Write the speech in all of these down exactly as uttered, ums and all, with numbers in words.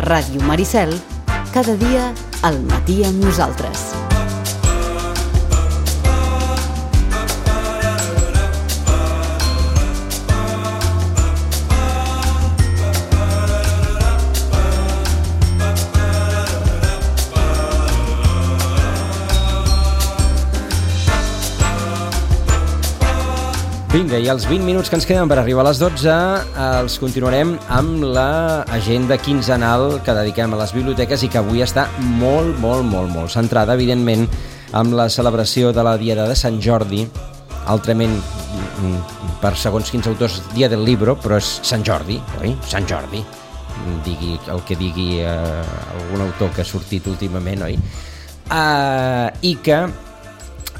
Ràdio Maricel, cada dia al matí amb nosaltres. Vinga, i els vint minuts que ens queden per arribar a les dotze els continuarem amb l'agenda quinzenal que dediquem a les biblioteques i que avui està molt, molt, molt, molt centrada, evidentment, amb la celebració de la Diada de Sant Jordi, altrament, per segons quins autors, Dia del Libro, però és Sant Jordi, oi? Sant Jordi, digui el que digui eh, algun autor que ha sortit últimament, oi? Uh, I que...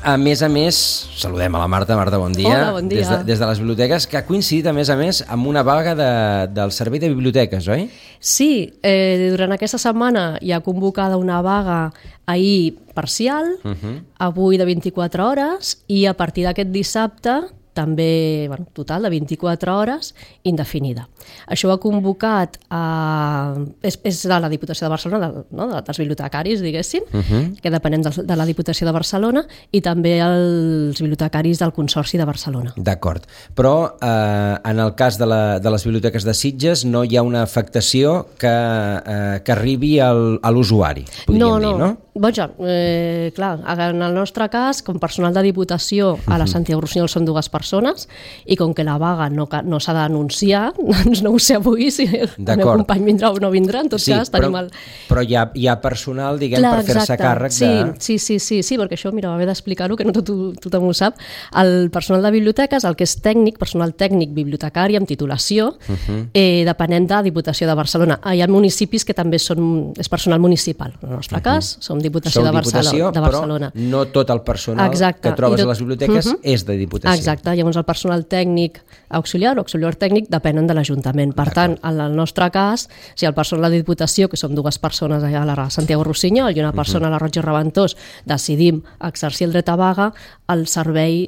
A més a més, saludem a la Marta. Marta, bon dia. Hola, bon dia. Des de, des de les biblioteques, que ha coincidit, a més a més, amb una vaga de, del Servei de Biblioteques, oi? Sí, eh, durant aquesta setmana hi ha convocada una vaga ahir parcial, uh-huh. avui de vint-i-quatre hores, i a partir d'aquest dissabte també, bueno, total de vint-i-quatre hores, indefinida. Això ho ha convocat, a, és, és de la Diputació de Barcelona, de, no, dels bibliotecaris, diguéssim, uh-huh. que depenem de, de la Diputació de Barcelona, i també els bibliotecaris del Consorci de Barcelona. D'acord, però eh, en el cas de, la, de les biblioteques de Sitges no hi ha una afectació que, eh, que arribi al, a l'usuari, podríem no, dir, no? Boja, eh, clar, en el nostre cas, com personal de Diputació a la Santiago Rossinyol són dues persones i com que la vaga no, no s'ha d'anunciar, doncs no ho sé avui si el meu company vindrà o no vindrà, en tot sí, cas però, tenim el... però hi ha, hi ha personal, diguem, clar, per fer-se càrrec sí, de... Sí, sí, sí, sí, perquè això, mira, va haver d'explicar-ho, que no tot, tothom ho sap. El personal de biblioteques, el que és tècnic, personal tècnic bibliotecari amb titulació, uh-huh. eh, depenent de Diputació de Barcelona. Hi ha municipis que també són, és personal municipal. En el nostre uh-huh. cas, som Diputació, de, Barcelona, de Barcelona. Però no tot el personal Exacte. que trobes tot... a les biblioteques uh-huh. és de Diputació. Exacte, llavors el personal tècnic auxiliar o auxiliar tècnic depenen de l'Ajuntament. Per tant, en el nostre cas, si el personal de Diputació, que som dues persones allà a la Santiago Rossinyol i una persona uh-huh. a la Roig i Reventós, decidim exercir el dret a vaga, el servei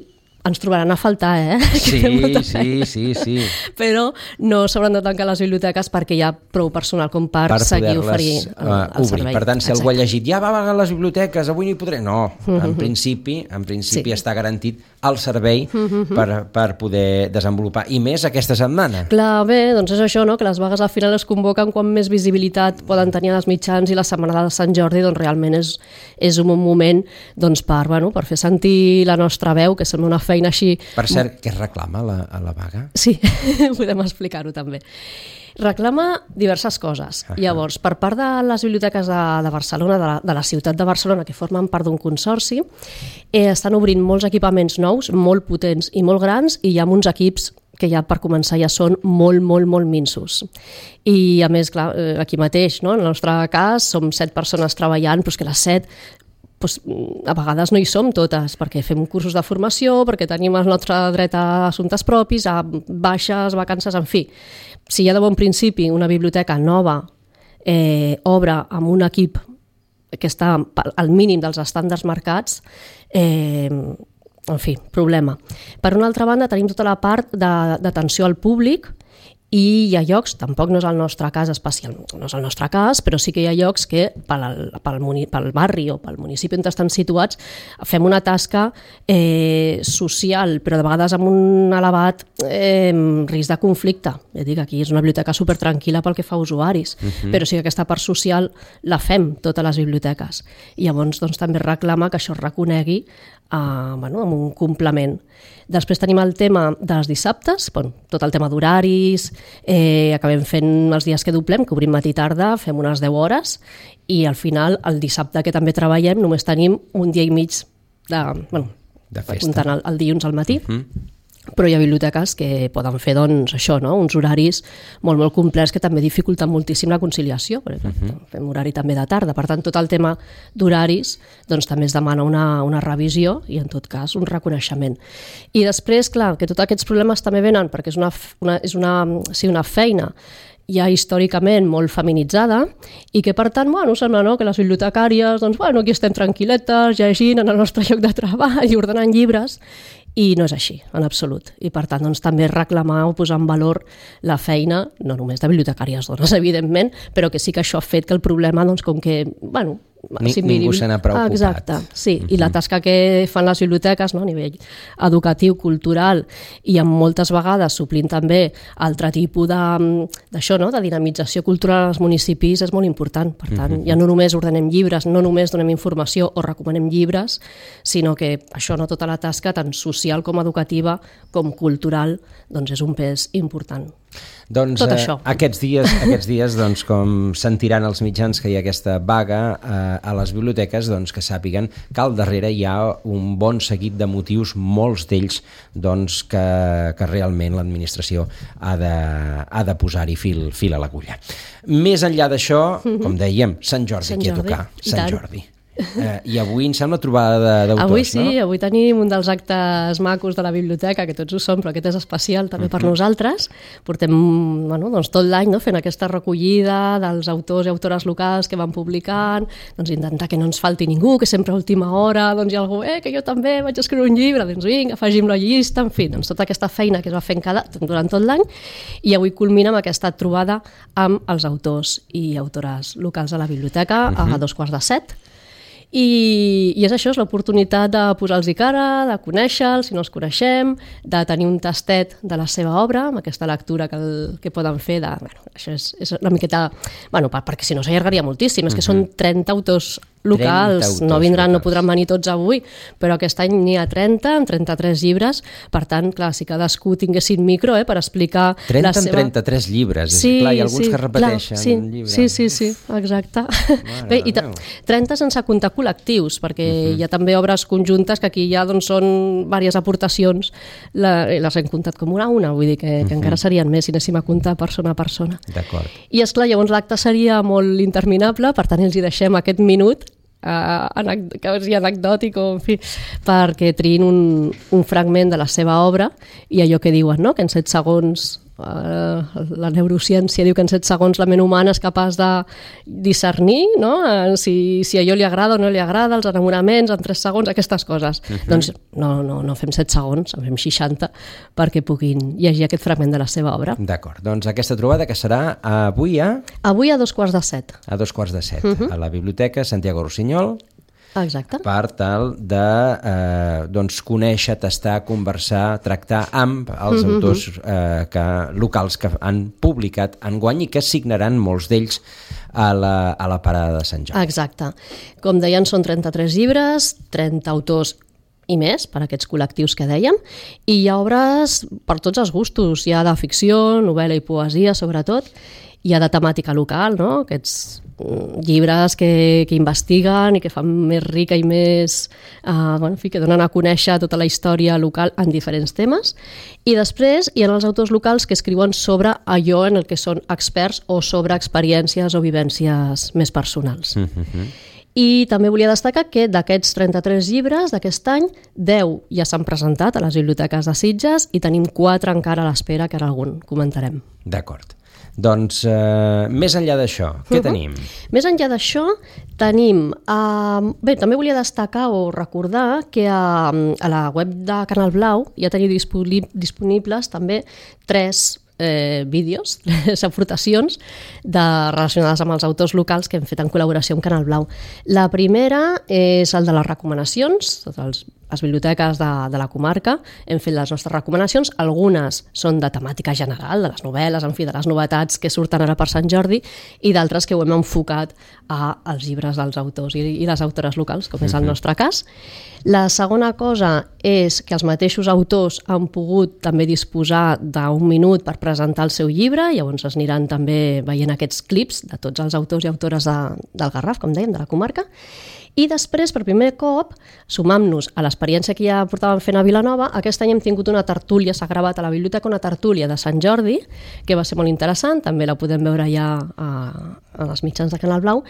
ens trobaran a faltar, eh? Sí, sí, sí, sí. Però no s'hauran de tancar les biblioteques perquè hi ha prou personal com per, per seguir oferint el, uh, el servei. Per tant, si Exacte. algú ha llegit, ja va vagar les biblioteques, avui no hi podré... No, uh-huh. en principi, en principi sí. està garantit el servei uh-huh. per, per poder desenvolupar. I més aquesta setmana. Clar, bé, doncs és això, no? Que les vagues al final es convoquen quan més visibilitat poden tenir els mitjans i la setmana de Sant Jordi doncs, realment és, és un bon moment doncs, per, bueno, per fer sentir la nostra veu, que sembla una feina així... Per cert, què reclama la, a la vaga? Sí, podem explicar-ho també. Reclama diverses coses. Uh-huh. Llavors, per part de les biblioteques de, de Barcelona, de la, de la ciutat de Barcelona, que formen part d'un consorci, eh, estan obrint molts equipaments nous, molt potents i molt grans, i hi ha uns equips que ja per començar ja són molt, molt, molt minsos. I a més, clar, aquí mateix, no? En el nostre cas, som set persones treballant, però és que les set Pues, a vegades no hi som totes, perquè fem cursos de formació, perquè tenim el nostre dret a assumptes propis, a baixes, vacances, en fi. Si ja de bon principi una biblioteca nova eh, obre amb un equip que està al mínim dels estàndards marcats, eh, en fi, problema. Per una altra banda, tenim tota la part d'atenció al públic, i hi ha llocs, tampoc no és el nostre cas especial, no és el nostre cas, però sí que hi ha llocs que pel, pel, pel barri o pel municipi on estan situats fem una tasca eh, social, però de vegades amb un elevat eh, risc de conflicte. Ja dic, aquí és una biblioteca supertranquil·la pel que fa a usuaris, uh-huh. però sí que aquesta part social la fem totes les biblioteques. I llavors doncs, també reclama que això es reconegui Uh, bueno, amb un complement. Després tenim el tema dels dissabtes, bueno, tot el tema d'horaris, eh, acabem fent els dies que doblem, que obrim matí i tarda, fem unes deu hores, i al final, el dissabte que també treballem, només tenim un dia i mig de, bueno, de festa. Comptant el, el dilluns al matí. Uh-huh. Però hi ha biblioteques que poden fer doncs, això, no? uns horaris molt, molt complets que també dificulten moltíssim la conciliació, perquè uh-huh. fem horari també de tarda. Per tant, tot el tema d'horaris doncs, també es demana una, una revisió i, en tot cas, un reconeixement. I després, clar, que tots aquests problemes també venen perquè és una, una, és una, sí, una feina ja històricament molt feminitzada i que, per tant, bueno, sembla no, que les bibliotecàries, doncs, bueno, aquí estem tranquil·letes, llegint en el nostre lloc de treball i ordenant llibres, i no és així, en absolut. I per tant, doncs, també reclamar o posar en valor la feina, no només de bibliotecàries dones, evidentment, però que sí que això ha fet que el problema, doncs, com que, bueno, Ni, si ningú se n'ha preocupat. Exacte, sí. Uh-huh. I la tasca que fan les biblioteques, no, a nivell educatiu, cultural, i amb moltes vegades suplint també altre tipus de, d'això, no, de dinamització cultural als municipis és molt important. Per tant, uh-huh. ja no només ordenem llibres, no només donem informació o recomanem llibres, sinó que això, no, tota la tasca, tant social com educativa com cultural, doncs és un pes important. Doncs Tot eh, això. aquests dies, aquests dies doncs, com sentiran els mitjans que hi ha aquesta vaga eh, a les biblioteques, doncs, que sàpiguen que al darrere hi ha un bon seguit de motius, molts d'ells doncs, que, que realment l'administració ha de, ha de posar-hi fil, fil a l'agulla. Més enllà d'això, com dèiem, Sant Jordi, Sant aquí a Jordi, tocar. i Sant tant. Jordi. Eh, I avui em sembla trobada d'autors, Avui sí, no? avui tenim un dels actes macos de la biblioteca, que tots ho són, però aquest és especial també per nosaltres. Portem, bueno, doncs tot l'any, no, fent aquesta recollida dels autors i autores locals que van publicant, doncs intentar que no ens falti ningú, que sempre a última hora doncs hi ha algú, eh, que jo també vaig escriure un llibre, doncs vinga, afegim la llista, en fi, doncs tota aquesta feina que es va fent cada, durant tot l'any, i avui culmina amb aquesta trobada amb els autors i autores locals de la biblioteca uh-huh. a dos quarts de set. I, i és això, és l'oportunitat de posar-los cara, de conèixer-los, si no els coneixem, de tenir un tastet de la seva obra, amb aquesta lectura que, el, que poden fer. De, bueno, això és, és una miqueta... Bueno, per, perquè si no s'allargaria moltíssim, és que són trenta autors locals, autors no vindran, locals. No podran venir tots avui, però aquest any n'hi ha trenta, amb trenta-tres llibres, per tant, clar, si cadascú tinguessin micro eh, per explicar trenta la seva... amb trenta-tres llibres, sí, clar, hi ha alguns sí, que repeteixen clar, sí, llibres. Sí, sí, sí, exacte. Bé, i trenta sense comptar col·lectius, perquè uh-huh. hi ha també obres conjuntes que aquí ja doncs, són diverses aportacions, la, les hem comptat com una a una, vull dir que, que uh-huh. encara serien més si anéssim a comptar persona a persona. D'acord. I esclar, llavors l'acte seria molt interminable, per tant els hi deixem aquest minut Uh, que és anecdòtic o, en fi, perquè triïn un, un fragment de la seva obra i allò que diuen, no? Que en set segons uh, la neurociència diu que en set segons la ment humana és capaç de discernir, no? uh, si, si allò li agrada o no li agrada, els enamoraments en tres segons, aquestes coses. Uh-huh. Doncs no, no, no fem set segons, en fem seixanta perquè puguin llegir aquest fragment de la seva obra. D'acord, doncs aquesta trobada que serà avui a... Avui a dos quarts de set. A dos quarts de set, Uh-huh. a la Biblioteca Santiago Rossinyol. Exacte. Per tal de eh, doncs, conèixer, tastar, conversar, tractar amb els uh-huh. autors eh, que, locals que han publicat enguany i que signaran molts d'ells a la, a la parada de Sant Jordi. Exacte. Com deien, són trenta-tres llibres, trenta autors i més, per aquests col·lectius que dèiem, i hi ha obres per tots els gustos, hi ha de ficció, novel·la i poesia, sobretot, hi ha de temàtica local, no? Aquests llibres que, que investiguen i que fan més rica i més... Uh, bueno, en fi, que donen a conèixer tota la història local en diferents temes. I després hi ha els autors locals que escriuen sobre allò en el que són experts o sobre experiències o vivències més personals. Mm-hmm. I també volia destacar que d'aquests trenta-tres llibres d'aquest any, deu ja s'han presentat a les biblioteques de Sitges i tenim quatre encara a l'espera, que ara algun comentarem. D'acord. Doncs, eh, més enllà d'això, què uh-huh. tenim? Més enllà d'això, tenim... Uh, bé, també volia destacar o recordar que a, a la web de Canal Blau ja teniu disponibles també tres eh, vídeos, tres aportacions de, relacionades amb els autors locals que hem fet en col·laboració amb Canal Blau. La primera és el de les recomanacions, tots els les biblioteques de, de la comarca, hem fet les nostres recomanacions, algunes són de temàtica general, de les novel·les, en fi, de les novetats que surten ara per Sant Jordi, i d'altres que ho hem enfocat a, als llibres dels autors i, i les autores locals, com és el nostre cas. La segona cosa és que els mateixos autors han pogut també disposar d'un minut per presentar el seu llibre, llavors es aniran també veient aquests clips de tots els autors i autores de, del Garraf, com dèiem, de la comarca. I després, per primer cop, sumant-nos a l'experiència que ja portàvem fent a Vilanova, aquest any hem tingut una tertúlia, s'ha gravat a la biblioteca una tertúlia de Sant Jordi, que va ser molt interessant, també la podem veure ja a, a les mitjans de Canal Blau,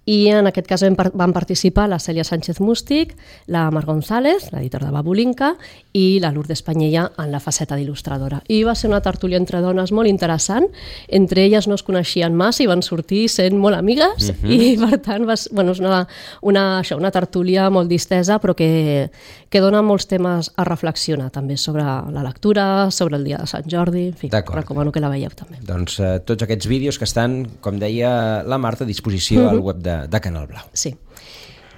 i en aquest cas van, van participar la Cèlia Sánchez Mústic, la Mar González, l'editora de Babulinka, i la Lourdes Panyella en la faceta d'il·lustradora. I va ser una tertúlia entre dones molt interessant, entre elles no es coneixien massa i van sortir sent molt amigues, uh-huh. i per tant va, bueno, és una, una això, una tertúlia molt distesa, però que, que dona molts temes a reflexionar, també sobre la lectura, sobre el dia de Sant Jordi, en fi, recomano que la veieu també. Doncs eh, tots aquests vídeos que estan, com deia la Marta, a disposició mm-hmm. al web de, de Canal Blau. Sí.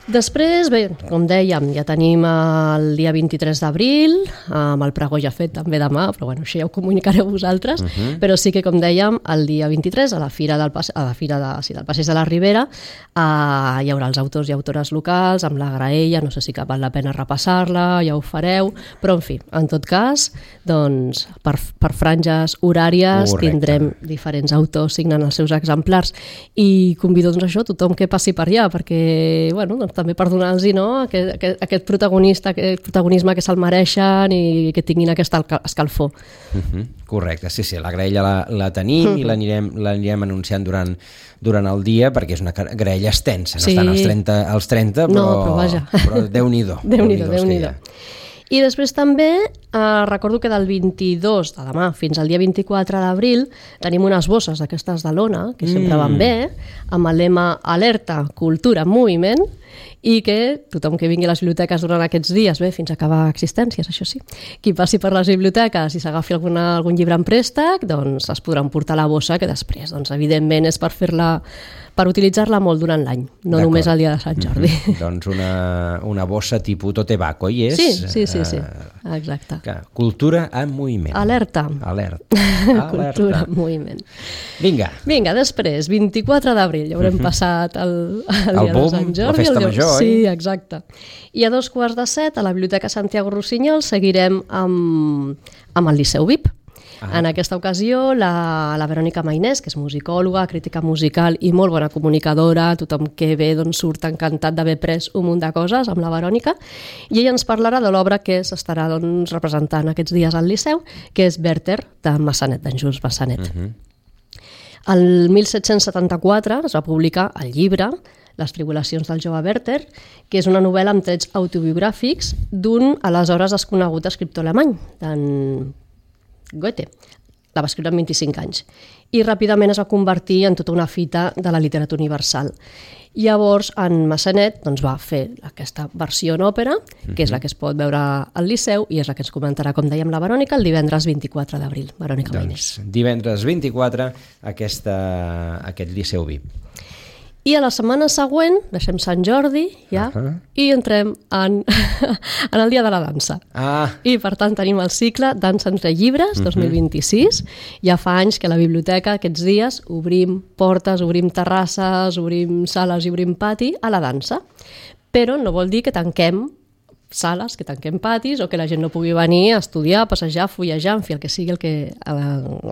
Després, bé, com dèiem, ja tenim el dia vint-i-tres d'abril, amb el pregó ja fet també demà, però bueno, això ja ho comunicareu vosaltres, uh-huh. però sí que, com dèiem, el dia vint-i-tres, a la Fira del, Pas- a la fira de, sí, del Passeig de la Ribera, eh, hi haurà els autors i autores locals, amb la graella, no sé si val la pena repassar-la, ja ho fareu, però en fi, en tot cas, doncs, per, per franges horàries Correcte. Tindrem diferents autors signant els seus exemplars i convido, doncs, això, tothom que passi per allà, perquè, bueno, doncs, també per donar-los no, aquest, aquest, aquest protagonista, aquest protagonisme que se'l mereixen i que tinguin aquesta escalfor. Uh-huh. Correcte, sí, sí, la graella la, la tenim uh-huh. i l'anirem, l'anirem anunciant durant, durant el dia perquè és una graella extensa, no sí. estan als trenta, als trenta però, no, però, vaja. però Déu-n'hi-do. Déu-n'hi-do, Déu-n'hi-do. I després també eh, recordo que del vint-i-dos de demà fins al dia vint-i-quatre d'abril tenim unes bosses d'aquestes de lona, que sempre mm. van bé, amb el lema Alerta, Cultura, Moviment, i que tothom que vingui a les biblioteques durant aquests dies, bé, fins a acabar existències, això sí, qui passi per les biblioteques i s'agafi alguna, algun llibre en préstec, doncs es podran portar a la bossa, que després, doncs, evidentment, és per fer-la per utilitzar-la molt durant l'any, no D'acord. Només el dia de Sant Jordi. Mm-hmm. Doncs una, una bossa tipus totebaco, i és... Sí, sí, sí, sí. Exacte. Que, cultura en moviment. Alerta. Alerta. Cultura en moviment. Vinga. Vinga, després, vint-i-quatre d'abril, ja haurem mm-hmm. passat el, el, el dia boom, de Sant Jordi. La festa el major, sí, exacte. I a dos quarts de set, a la Biblioteca Santiago Rossinyol, seguirem amb, amb el Liceu V I P. Ah. En aquesta ocasió, la, la Verònica Mainès, que és musicòloga, crítica musical i molt bona comunicadora, tothom que ve doncs, surt encantat d'haver pres un munt de coses amb la Verònica, i ella ens parlarà de l'obra que s'estarà doncs, representant aquests dies al Liceu, que és Werther, de Massanet, d'en Jules Massanet. Uh-huh. El disset setanta-quatre es va publicar el llibre Les tribulacions del jove Werther, que és una novel·la amb trets autobiogràfics d'un aleshores desconegut escriptor alemany, d'en Goethe. La va escriure amb vint-i-cinc anys. I ràpidament es va convertir en tota una fita de la literatura universal. Llavors, en Massanet doncs, va fer aquesta versió en òpera, que és la que es pot veure al Liceu, i és la que ens comentarà, com dèiem, la Verònica, el divendres vint-i-quatre d'abril. Verònica Mainès. Doncs, divendres vint-i-quatre, aquesta, aquest Liceu V I P. I a la setmana següent, deixem Sant Jordi, ja, uh-huh. i entrem en, en el Dia de la Dansa. Ah. I, per tant, tenim el cicle Dansa entre llibres, uh-huh. dos mil vint-i-sis. Ja fa anys que a la biblioteca, aquests dies, obrim portes, obrim terrasses, obrim sales i obrim pati a la dansa. Però no vol dir que tanquem sales, que tanquem patis, o que la gent no pugui venir a estudiar, a passejar, a fullejar, en fi, el que sigui el que, el,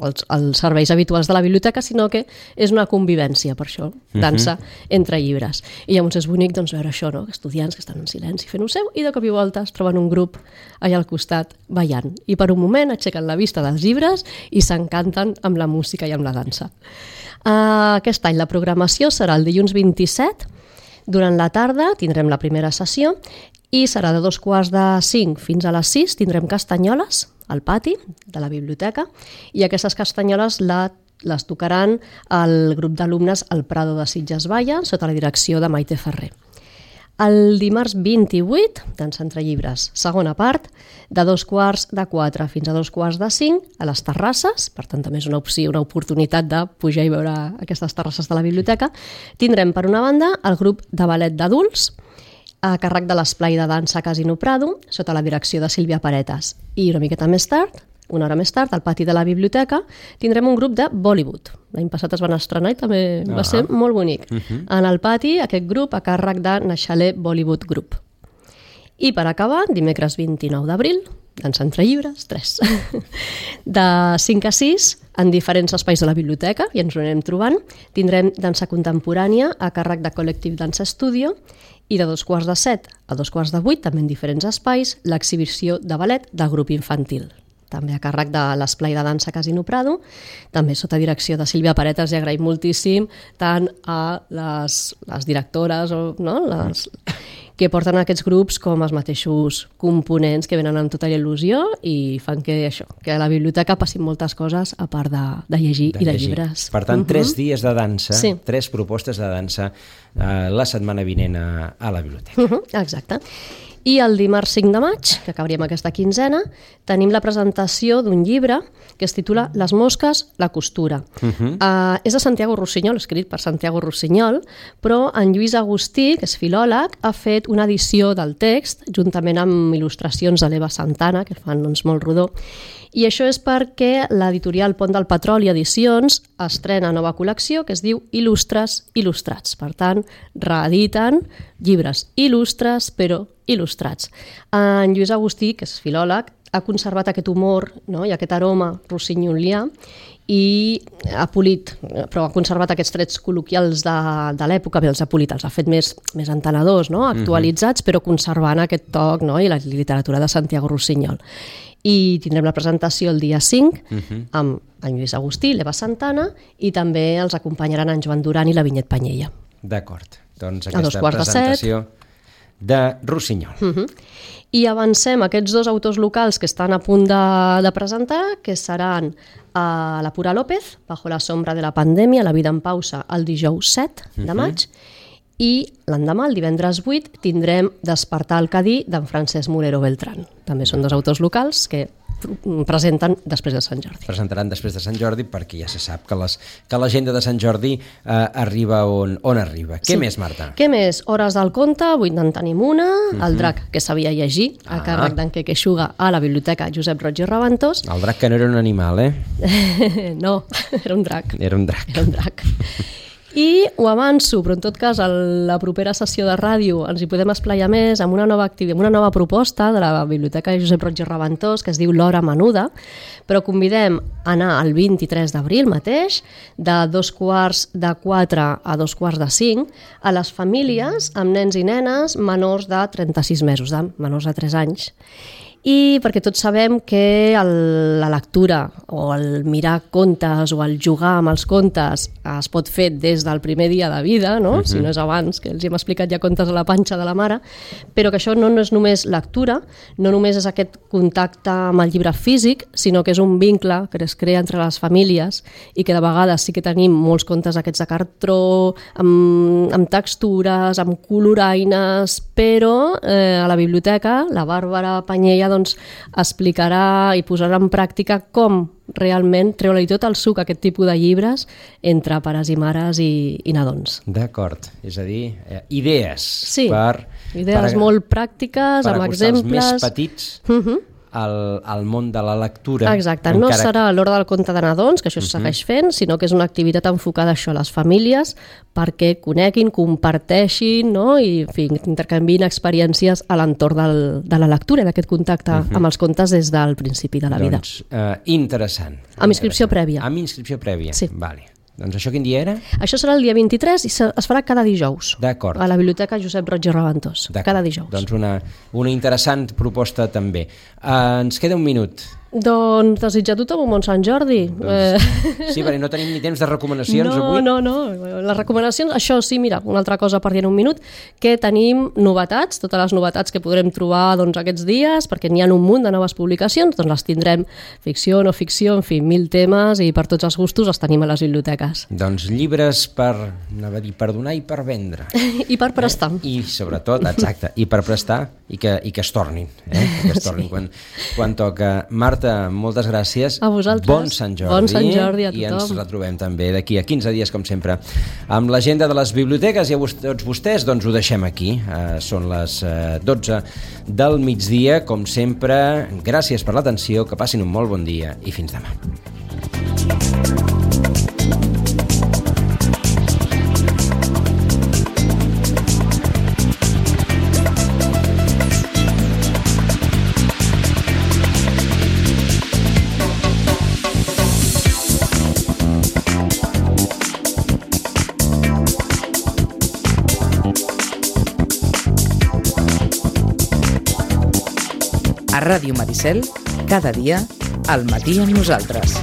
els, els serveis habituals de la biblioteca, sinó que és una convivència, per això, dansa uh-huh. entre llibres. I llavors és bonic doncs, veure això, no? Estudiants que estan en silenci fent-ho seu, i de cop i volta es troben un grup allà al costat ballant. I per un moment aixequen la vista dels llibres i s'encanten amb la música i amb la dansa. Uh, aquest any la programació serà el dilluns vint-i-set, durant la tarda tindrem la primera sessió i serà de dos quarts de cinc fins a les sis, tindrem castanyoles al pati de la biblioteca i aquestes castanyoles la, les tocaran el grup d'alumnes al Prado de Sitges Valla sota la direcció de Maite Ferrer. El dimarts vint-i-vuit, Dansa entre llibres, segona part, de dos quarts de quatre fins a dos quarts de cinc a les terrasses, per tant també és una opció, una oportunitat de pujar i veure aquestes terrasses de la biblioteca. Tindrem per una banda el grup de ballet d'adults, a càrrec de l'esplai de dansa Casino Prado, sota la direcció de Sílvia Paretas. I una miqueta més tard, una hora més tard, al pati de la biblioteca, tindrem un grup de Bollywood. L'any passat es van estrenar i també ah. va ser molt bonic. Uh-huh. En el pati, aquest grup a càrrec de Naixaler Bollywood Group. I per acabar, dimecres vint-i-nou d'abril, Dansa entre llibres, tres. De cinc a sis, en diferents espais de la biblioteca, i ens ho anem trobant, tindrem dansa contemporània a càrrec de Col·lectiv Dansa Studio, i de dos quarts de set a dos quarts de vuit, també en diferents espais, l'exhibició de ballet del grup infantil. També a càrrec de l'esplai de dansa Casino Prado, també sota direcció de Sílvia Paretas, i agraïm moltíssim tant a les, les directores o, no, les, que porten aquests grups com els mateixos components que venen amb tota la il·lusió i fan que això, que a la biblioteca passin moltes coses a part de, de llegir de i de llegir. Llibres. Per tant, uh-huh. tres dies de dansa, sí. tres propostes de dansa eh, la setmana vinent a, a la biblioteca. Uh-huh. Exacte. I el dimarts cinc de maig, que acabaríem aquesta quinzena, tenim la presentació d'un llibre que es titula Les mosques, la costura. Uh-huh. uh, és de Santiago Rossinyol, escrit per Santiago Rossinyol, però en Lluís Agustí, que és filòleg, ha fet una edició del text, juntament amb il·lustracions de l'Eva Santana, que fan doncs, molt rodó. I això és perquè l'editorial Pont del Petroli Edicions estrena nova col·lecció que es diu Il·lustres il·lustrats. Per tant, reediten llibres il·lustres, però il·lustrats. En Lluís Agustí, que és filòleg, ha conservat aquest humor, no? I aquest aroma rossinyolià i ha polit, però ha conservat aquests trets col·loquials de, de l'època, bé, els ha polit, els ha fet més, més entenedors, no? Actualitzats, uh-huh. però conservant aquest toc, no? I la literatura de Santiago Rossinyol. I tindrem la presentació el dia cinc uh-huh. amb en Lluís Agustí, l'Eva Santana, i també els acompanyaran en Joan Duran i la Vinyet Panyella. D'acord, doncs aquesta presentació de, de Rossinyol. Uh-huh. I avancem aquests dos autors locals que estan a punt de, de presentar, que seran a la Pura López, Bajo la sombra de la pandèmia, La vida en pausa, el dijous set de maig, uh-huh. i l'endemà, el divendres vuit, tindrem Despertar el Cadí d'en Francesc Morero Beltrán. També són dos autors locals que presenten després de Sant Jordi. Presentaran després de Sant Jordi perquè ja se sap que, les, que l'agenda de Sant Jordi eh, arriba on, on arriba. Què sí. més, Marta? Què més? Hores del conte, avui en tenim una, uh-huh. El drac que sabia llegir, a ah. càrrec d'en Queque Xuga a la Biblioteca Josep Roig i Raventós. El drac que no era un animal, eh? No, era un drac. Era un drac. Era un drac. I ho avanço, però en tot cas a la propera sessió de ràdio ens hi podem esplaiar més amb una nova activitat, amb una nova proposta de la Biblioteca Josep Roig i Raventós que es diu L'Hora Menuda, però convidem a anar el vint-i-tres d'abril mateix, de dos quarts de quatre a dos quarts de cinc, a les famílies amb nens i nenes menors de trenta-sis mesos, de menors de tres anys. I perquè tots sabem que el, la lectura o el mirar contes o el jugar amb els contes es pot fer des del primer dia de vida, no? Uh-huh. Si no és abans, que els hem explicat ja contes a la panxa de la mare, però que això no, no és només lectura, no només és aquest contacte amb el llibre físic, sinó que és un vincle que es crea entre les famílies i que de vegades sí que tenim molts contes aquests de cartró, amb, amb textures, amb coloraines, però eh, a la biblioteca la Bàrbara Panyella doncs, explicarà i posarà en pràctica com realment treure-li tot el suc a aquest tipus de llibres entre pares i mares i, i nadons. D'acord, és a dir, eh, idees sí, per... idees per, molt pràctiques, per amb exemples... Per acostar els més petits... Uh-huh. Al, al món de la lectura. Exacte, no encara... serà l'hora del conte de nadons, que això es segueix fent, sinó que és una activitat enfocada a això, a les famílies, perquè coneguin, comparteixin, no? I en fi, intercanviïn experiències a l'entorn del, de la lectura, d'aquest contacte uh-huh. amb els contes des del principi de la vida. Doncs, uh, interessant. Amb inscripció prèvia. Amb inscripció prèvia, sí. Vale. Doncs això quin dia era? Això serà el dia vint-i-tres i es farà cada dijous. D'acord. A la Biblioteca Josep Roig i Raventós. Cada dijous. Doncs una, una interessant proposta també. Uh, ens queda un minut. Doncs desitjar a tothom un bon Sant Jordi. Doncs, sí, perquè no tenim ni temps de recomanacions no, avui. No, no, no. Les recomanacions, això sí, mira, una altra cosa per dir en un minut, que tenim novetats, totes les novetats que podrem trobar doncs, aquests dies, perquè n'hi ha un munt de noves publicacions, doncs les tindrem ficció, no ficció, en fi, mil temes i per tots els gustos els tenim a les biblioteques. Doncs llibres per, anava a dir, per donar i per vendre. I per prestar. Eh? I sobretot, exacte, i per prestar i que, i que es tornin. Eh? Que es tornin sí. quan, quan toca. Marta, moltes gràcies. A vosaltres. Bon Sant Jordi. Bon Sant Jordi a tothom. I ens retrobem també d'aquí a quinze dies, com sempre, amb l'agenda de les biblioteques. I a tots vostès doncs, ho deixem aquí. Uh, són les uh, dotze del migdia. Com sempre, gràcies per l'atenció, que passin un molt bon dia i fins demà. A Ràdio Maricel, cada dia, al matí amb nosaltres.